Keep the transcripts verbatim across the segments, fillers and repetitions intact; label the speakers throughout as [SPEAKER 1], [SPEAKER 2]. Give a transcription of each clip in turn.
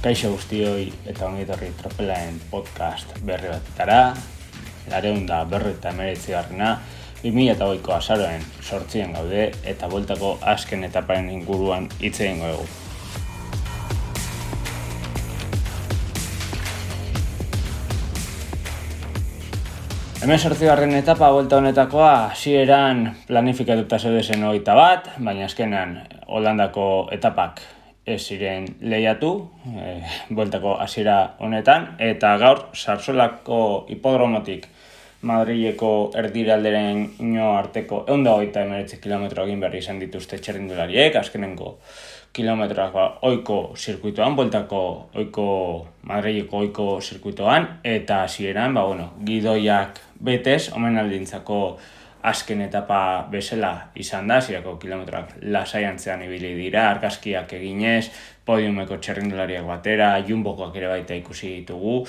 [SPEAKER 1] Kaixo guztioi eta ongi etorri Tropelaen podcast berri batetara, laurehun eta berrogeita hemeretzi garrena, bi mila hogeiko azaroaren zortzian gaude eta bueltako azken etaparen inguruan hitz egingo dugu. hemezortzigarren etapa buelta honetakoa hasieran planifikatuta zeudezen hogeita bat, baina azkenan Holandako etapak ez ziren lehiatu, e, bueltako hasiera honetan, eta gaur Sarsolako hipodromotik Madrileko erdiralderen ino arteko ehun eta hogeita hemeretzi kilometro egin behar izan dituzte txirrindulariek, azkenengo kilometroak ba, oiko zirkuitoan, bueltako oiko Madrileko oiko zirkuitoan, eta hasieran, ba, bueno, gidoiak betez, omenaldintzako azken etapa bezala izan da, zirako kilometroak lasaiantzean ibili dira, argazkiak eginez, podiumeko txerrindulariak batera, jumbokoak ere baita ikusi ditugu,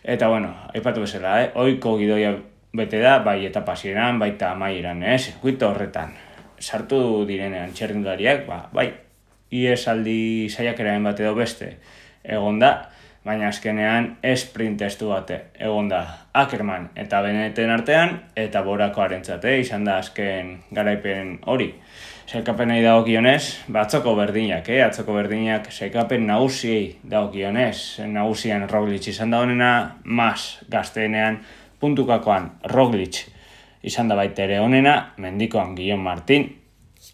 [SPEAKER 1] eta bueno, aipatu bezala, eh? Oiko gidoia bete da, bai etapa hasieran, baita amaieran, eh? Zirkuito horretan, sartu direnean txerrindulariak, ba, bai, iesaldi saiakeraren bat edo beste egon da, baina azkenean sprint testu bat egon da Ackerman eta Beneten artean, eta Borakoarentzat izan da azken garaipen hori. Sailkapenei dagokionez, ba, atzoko berdinak, eh? atzoko berdinak sailkapen nagusiei dagokionez, nagusian Roglic izan da honena, Mas gazteenean puntukakoan Roglic izan da baita ere honena, mendikoan Guillaume Martin,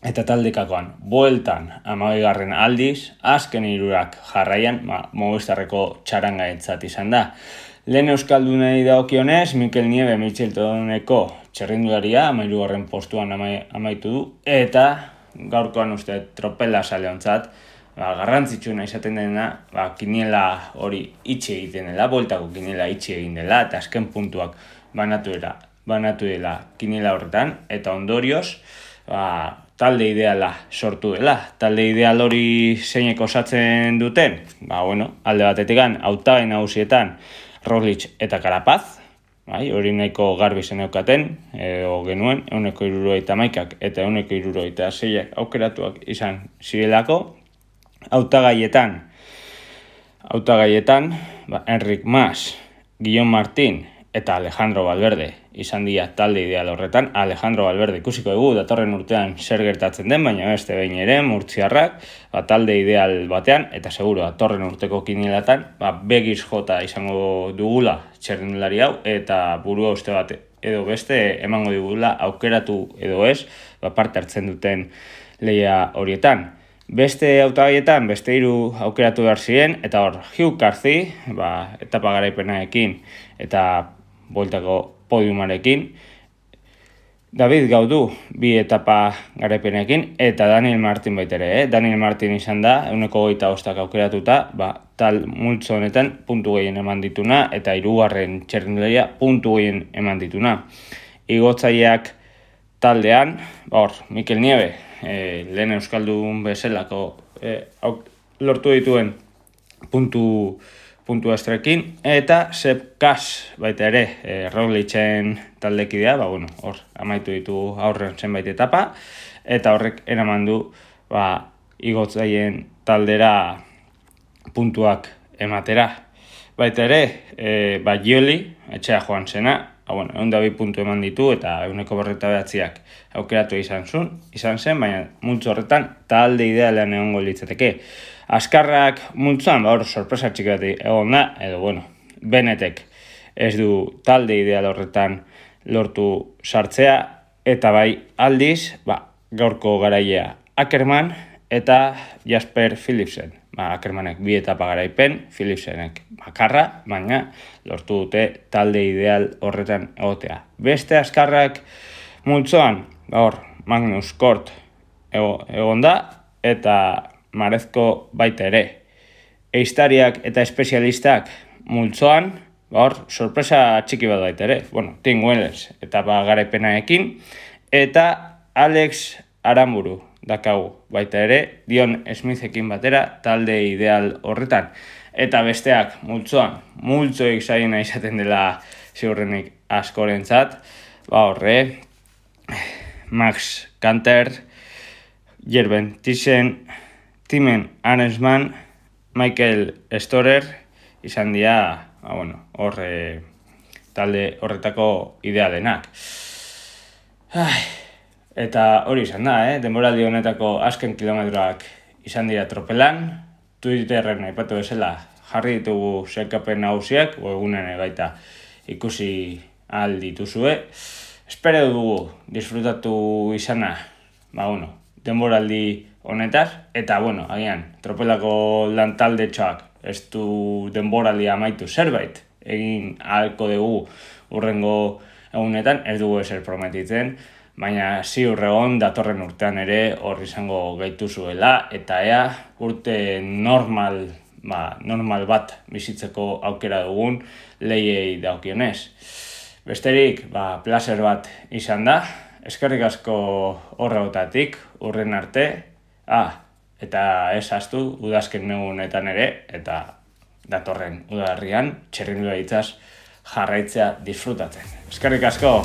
[SPEAKER 1] eta taldekakoan bueltan hamabigarren aldiz, azken hirurak jarraian, ma, Movistarreko txarangaentzat izan da. Lehen euskaldunei dagokionez, Mikel Nieve Mitcheltoneko txerrindularia hamahirugarren postuan amai, amaitu du, eta gaurkoan uste Tropela saleontzat, ba, garrantzitsuna izaten dena, ba, kiniela hori itxi egiten dela, bueltako kiniela itxi egin dela, eta azken puntuak banatu dela, banatu dela kiniela horretan, eta ondorioz, ba, talde ideala sortu dela. Talde ideal hori zeinek osatzen duten? Ba, bueno, alde batetikan, hautagai nagusietan Roglic eta Carapaz, bai, hori nahiko garbi zeneukaten, edo genuen, ehuneko hirurogeita hamaikak eta ehuneko hirurogeita seiak aukeratuak izan zirelako. Hautagaietan, hautagaietan, ba, Enric Mas, Guillaume Martin eta Alejandro Valverde izan dira talde ideal horretan. Alejandro Valverde ikusiko dugu datorren urtean zer gertatzen den, baina beste behin ere murtziarrak ba, talde ideal batean, eta seguro datorren urteko kinielatan ba, begiz jota izango dugula txerrindulari hau, eta burua uste bat edo beste emango dugula aukeratu edo ez, ba, parte hartzen duten lehia horietan. Beste hautagaietan, beste hiru aukeratu behar ziren, eta hor, Hugh Carthy, ba, etapa garaipenarekin eta bueltako podiumarekin, David Gaudu bi etapa garaipenekin, eta Daniel Martin baitere, eh? Daniel Martin izan da, ehuneko hogeita bostak aukeratuta, ba, tal multzo honetan puntu gehien eman dituna, eta hirugarren txerrindularia puntu gehien eman dituna. Igotzaileak taldean, ba, hor, Mikel Nieve, eh, lehen euskaldun bezalako eh, lortu dituen puntu puntu estrekin, eta Sepp Kuss baita ere, e, Roglicen taldekidea, ba, bueno, hor, amaitu ditu aurren zenbait etapa, eta horrek eraman du, ba, igotzaien taldera puntuak ematera. Baita ere, e, ba, Gioli, etxea joan zena, ba, bueno, ehun eta bi puntu eman ditu, eta ehuneko berrogeita bederatziak aukeratu izan zuen, izan zen, baina multzo horretan talde idealean egongo litzateke. Azkarrak multzoan, ba, hor, sorpresa txiki bat egon da, edo, bueno, Benetek ez du talde ideal horretan lortu sartzea, eta bai aldiz, ba, gaurko garailea Ackerman eta Jasper Philipsen. Ba, Ackermanek bi etapa garaipen, Philipsenek bakarra, baina lortu dute talde ideal horretan egotea. Beste azkarrak multzoan, ba, hor, Magnus Kort egon da, eta Marezko baita ere. Eiztariak eta espezialistak multzoan, ba hor, sorpresa txiki bat baita ere. Bueno, Tim Wellers eta ba garaipenaekin, eta Alex Aramburu dakagu baita ere, Dion Smithekin batera talde ideal horretan. Eta besteak multzoan, multzoik zaina izaten dela ziurrenik askorentzat, ba horre, Max Kanter, Jerben Thyssen, Timen Arensman Michael Storer izan dira, ba, bueno, hor e, talde horretako idealenak. Ai, eta hori izan da, eh? Denboraldi honetako azken kilometroak izan dira tropelan, Twitterren aipatu bezala jarri ditugu sailkapen nagusiak, webgunean baita ikusi ahal dituzue. Espero dugu disfrutatu izana, ba bueno, denboraldi honetaz, eta bueno, agian, tropelako lan taldetxoak ez du denboraldia amaitu zerbait egin ahalko dugu urrengo egunetan, ez dugu ezer prometitzen, baina ziur egon datorren urtean ere hor izango gaituzuela, eta ea urte normal, ba, normal bat bizitzeko aukera dugun lehiei daukionez. Besterik, ba, placer bat izan da, eskerrik asko horregotatik, urren arte, ah, eta ez ahaztu udazken negunetan ere, eta datorren udaberrian txirrindularitza jarraitzea disfrutatzen. Eskerrik asko!